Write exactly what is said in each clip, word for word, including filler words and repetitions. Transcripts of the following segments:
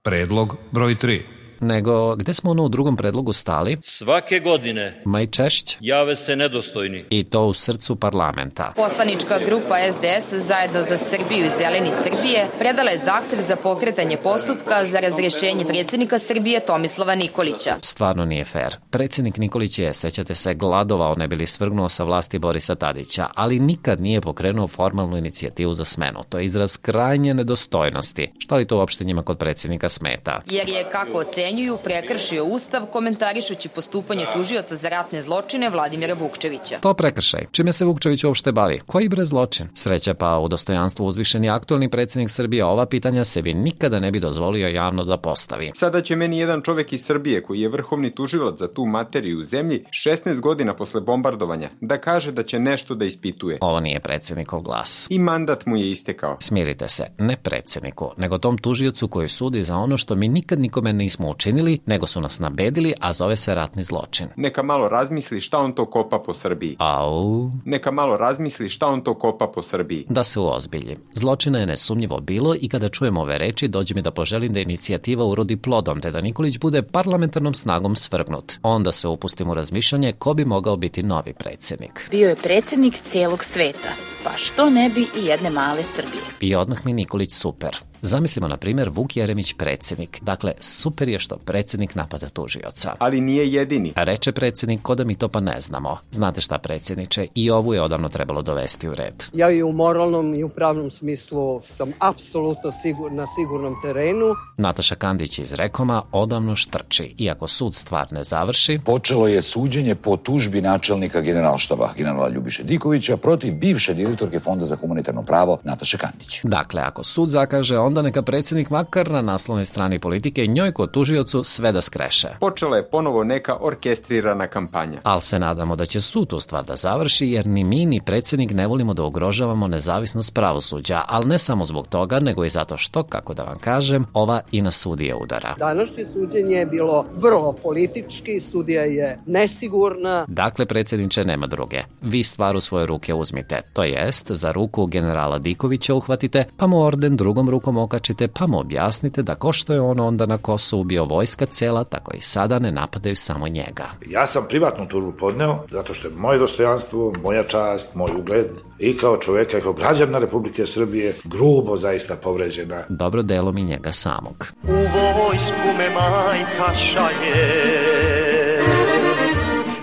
Predlog broj tri. Nego, gde smo ono u drugom predlogu stali? Svake godine Ma i češće. jave se nedostojni. I to u srcu parlamenta. Poslanička grupa S D S Zajedno za Srbiju i Zeleni Srbije predala je zahtev za pokretanje postupka za razrješenje predsjednika Srbije Tomislava Nikolića. Stvarno nije fair. Predsjednik Nikolić je, sećate se, gladovao ne bi li svrgnuo sa vlasti Borisa Tadića, ali nikad nije pokrenuo formalnu inicijativu za smenu. To je izraz krajnje nedostojnosti. Šta li to uopšte njima kod predsjednika smeta? Jer je, kako ocenjuju, prekršio Ustav komentarišući postupanje tužioca za ratne zločine Vladimira Vukčevića. To prekršaj. Čime se Vukčević uopšte bavi? Koji bre zločin? Sreća pa u dostojanstvu uzvišeni aktualni predsjednik Srbije ova pitanja sebi nikada ne bi dozvolio javno da postavi. Sada će meni jedan čovek iz Srbije koji je vrhovni tužilac za tu materiju u zemlji šesnaest godina posle bombardovanja da kaže da će nešto da ispituje. Ovo nije predsjednikov glas. I mandat mu je istekao. Smirite se, ne predsjedniku, nego tom tužiocu koji sudi za ono što mi nikad nikome nismo učinili, nego su nas nabedili, a zove se ratni zločin. Neka malo razmisli šta on to kopa po Srbiji. Au. Neka malo razmisli šta on to kopa po Srbiji. Da se uozbilji. Zločina je nesumnjivo bilo i kada čujem ove reči, dođe mi da poželim da inicijativa urodi plodom, te da Nikolić bude parlamentarnom snagom svrgnut. Onda se upustim u razmišljanje ko bi mogao biti novi predsjednik. Bio je predsjednik cijelog sveta, pa što ne bi i jedne male Srbije. I odmah mi Nikolić super. Zamislimo, na primjer, Vuk Jeremić predsjednik. Dakle, super je što predsjednik napada tužioca. Ali nije jedini. A reče predsjednik, ko da mi to pa ne znamo. Znate šta, predsjedniče, i ovu je odavno trebalo dovesti u red. Ja i u moralnom i u pravnom smislu sam apsolutno sigur, na sigurnom terenu. Nataša Kandić iz Rekoma odavno štrči. Iako sud stvar ne završi, počelo je suđenje po tužbi načelnika generalštaba generala Ljubiše Dikovića protiv bivše direktorke Fonda za humanitarno pravo Nataše Kandić. Dakle, ako sud zakaže, onda neka predsjednik makar na naslovnoj strani politike njoj kod tužiocu sve da skreše. Počela je ponovo neka orkestrirana kampanja. Ali se nadamo da će sud tu stvar da završi, jer ni mi ni predsjednik ne volimo da ugrožavamo nezavisnost pravosuđa, ali ne samo zbog toga, nego i zato što, kako da vam kažem, ova i na sudije udara. Današnje suđenje je bilo vrlo politički, sudija je nesigurna. Dakle, predsjedniče, nema druge. Vi stvar u svoje ruke uzmite, to jest za ruku generala Dikovića uhvatite, pa mu orden drugom rukom okačite, pa mu objasnite da ko što je on onda na Kosovu bio vojska cela, tako i sada ne napadaju samo njega. Ja sam privatnu tužbu podneo zato što je moje dostojanstvo, moja čast, moj ugled i kao čoveka i kao građana Republike Srbije grubo zaista povređena. Dobro delom i njega samog. U vojsku me majka šalje.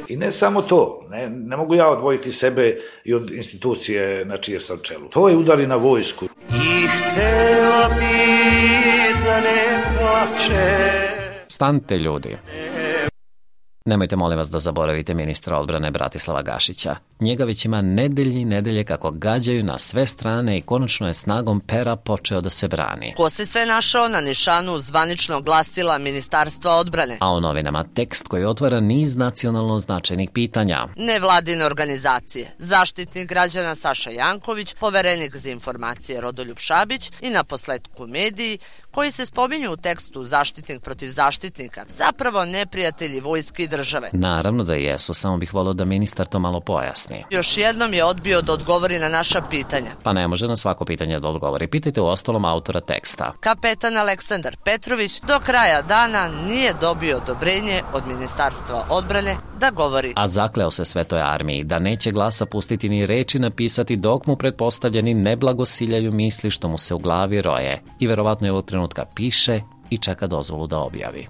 I ne samo to, ne, ne mogu ja odvojiti sebe i od institucije na čije sam čelu. To je udari na vojsku. I htela bi da ne plače. Stanite, ljudi. Nemojte, molim vas, da zaboravite ministra odbrane Bratislava Gašića. Njega već ima nedelje i nedelje kako gađaju na sve strane i konačno je snagom pera počeo da se brani. Ko se sve našao na nišanu zvaničnog glasila Ministarstva odbrane? A u novinama tekst koji otvara niz nacionalno značajnih pitanja. Nevladine organizacije, zaštitnik građana Saša Janković, poverenik za informacije Rodoljub Šabić i naposletku mediji, koji se spominju u tekstu zaštitnik protiv zaštitnika, zapravo neprijatelji vojske i države. Naravno da jesu, samo bih volio da ministar to malo pojasni. Još jednom je odbio da odgovori na naša pitanja. Pa ne može na svako pitanje da odgovori. Pitajte u ostalom autora teksta. Kapetan Aleksandar Petrović do kraja dana nije dobio odobrenje od Ministarstva odbrane da govori. A zakleo se Svetoj armiji da neće glasa pustiti ni reči napisati dok mu pretpostavljeni ne blagosiljaju misli što mu se u glavi roje. I verovatno je ovog trenutka piše i čeka dozvolu da objavi.